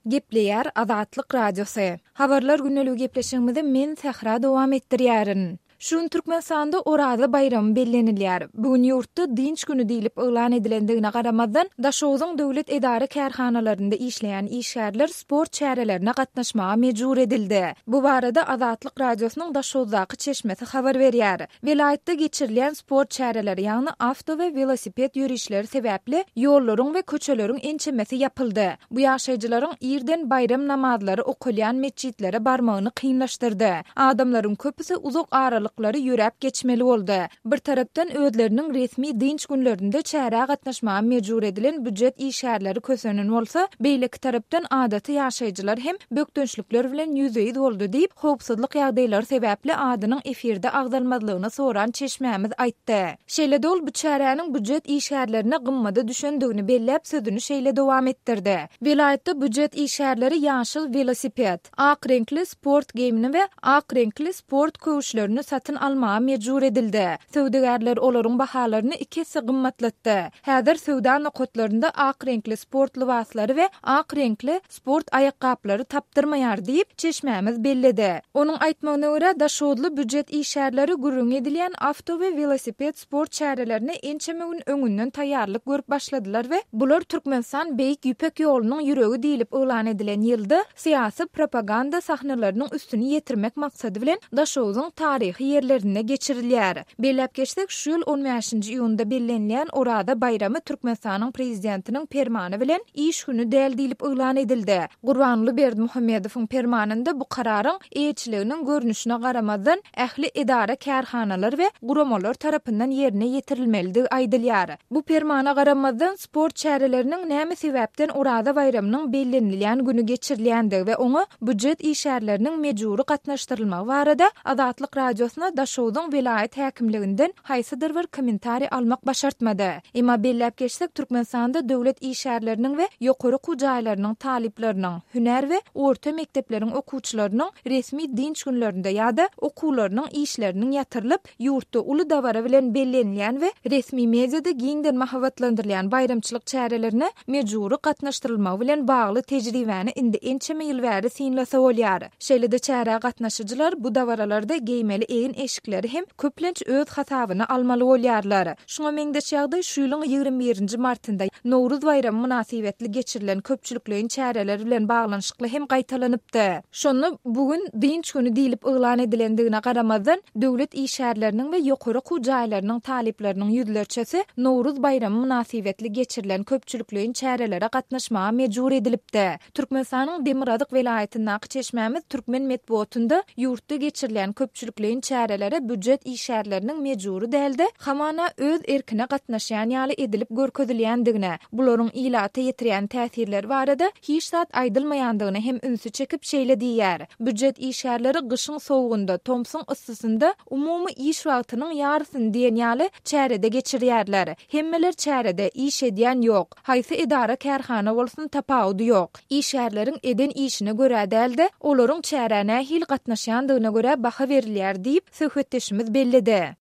Gepleýär Azatlyk Radiosy. Habarlar gündeligi gepleşigimizi men Sähra dowam etdirýärin. Şu gün Türkmenistanda Oraza baýramy bellenilýär. Bu gün ýurtda dynç güni diýlip yglan edilendigine garamazdan, Daşogzuň döwlet edara-kärhanalarynda işleýän işgärler sport çärelerine gatnaşmaga mejbur edildi. Bu barada Azatlyk Radiosynyň Daşoguzdaky çeşmesi habar berýär. Welaýatda geçirilýän sport çäreleri, ýagny awto we welosiped ýörişleri sebäpli ýollaryň we köçeleriň ençemesi ýapyldy. Bu ýaşaýjylaryň irden baýram namazlary okalýan metjitlere barmagyny kynlaşdyrdy. Adamlaryň köpüsi uzak aralyklary ýöräp geçmeli boldy. Bir tarapdan özleriniň resmi dynç günlerinde çärä gatnaşmaga mejbur edilen býujet işgärleri kösenen bolsa, beýleki tarapdan adaty ýaşaýjylar hem bökdençlikler bilen ýüzbe-ýüz boldy diýip, howpsuzlyk ýagdaýlary sebäpli adynyň efirde agzalmazlygyny soran çeşmämiz aýtdy. Şeýle-de ol bu çäräniň býujet işgärlerine gymmada düşendigini belläp, sözüni şeýle dowam etdirdi. Welaýatda býujet işgärleri ýaşyl welosiped, ak reňkli sport geýimini we ak reňkli sport köwüşlerini satyn almaga mejbur edildi. Söwdagärler olaryň bahalaryny iki esse gymmatlatdy. Häzir söwda nokatlarynda ak reňkli sport lybaslary we ak reňkli sport aýakgaplary tapdyrmaýar diýip, çeşmämiz belledi. Onuň aýtmagyna görä, daşoguzly býujet işgärleri gürrüňi edilýän awto we welosiped sport çärelerine ençeme gün öňünden taýýarlyk görüp başladylar we bular Türkmenistan Beýik Ýüpek ýolunyň ýüregi diýlip yglan edilen ýylda syýasy propaganda sahnalarynyň üstüni ýetirmek maksady bilen Daşogzuň taryhy ýerlerinde geçirilýär. Belläp geçsek, şu ýyl on bäşinji iýunda bellenilýän Oraza baýramy Türkmenistanyň Prezidentiniň Permany bilen iş güni däl diýlip yglan edildi. Gurbanguly Berdimuhamedowyň Permanynda bu kararyň eýeçiliginiň görnüşine garamazdan, ähli edara-kärhanalar we guramalar tarapyndan ýerine ýetirilmelidigi aýdylýar. Bu Permana garamazdan, sport çäreleriniň näme sebäpden Oraza baýramynyň bellenilýän güni geçirilýändigi we oňa býujet işgärleriniň mejbury gatnaşdyrylmagy barada Azatlyk Radiosyna Daşogzuň welaýat häkimliginden haýsydyr bir kommentariý almak başartmady. Emma belläp geçsek, Türkmenistanda döwlet işgärleriniň we ýokary okuw jaýlarynyň talyplarynyň, hünär we orta mekdepleriň okuwçylarynyň resmi dynç günlerinde ýa-da okuwlarynyň işleriniň ýatyrylyp, ýurtda uly dabara bilen bellenilýän we resmi mediada giňden mahabatlandyrylýan baýramçylyk çärelerine mejbury gatnaşdyrylmagy bilen bagly tejribäni indi ençeme ýyl bäri synlasa bolýar. Şeýle-de çärä gatnaşyjylar bu dabaralarda geýmeli egin-eşikleri hem köplenç öz hasabyna almaly bolýarlar. Şuňa meňzeş ýagdaý şu ýylyň 21 nji martynda Nowruz baýramy mynasybetli geçirilen köpçülikleýin çäreler bilen baglanyşykly hem gaýtalanypdy. Şonda bu gün dynç güni diýlip yglan edilendigine garamazdan, döwlet işgärleriniň we ýokary okuw jaýlarynyň talyplarynyň ýüzlerçesi Nowruz baýramy mynasybetli geçirilen köpçülikleýin çärelere gatnaşmaga mejbur edilipdi. Türkmenistanyň demirgazyk welaýatyndaky çeşmämiz türkmen metbugatynda ýurtda geçirilýän köpçülikleýin çärelere býujet işgärleriniň mejbury däl-de, hamana öz erkine gatnaşýan ýaly edilip görkezilýändigine, bularyň ilata ýetirýän täsirleri barada hiç zat aýdylmaýandygyna hem ünsi çekip şeýle diýýär, Býujet işgärleri gyşyň sowugynda, tomsuň yssysynda umumy iş wagtynyň ýarysyny diýen ýaly çärede geçirýärler. Hemmeler çärede, iş edýän ýok. Haýsy edara-kärhana bolsun tapawudy ýok. Işgärleriň eden işine görä däl-de, olaryň çärä nähili gatnaşýandygyna görä baha berilýär diýip, söhbetdeşimiz belledi.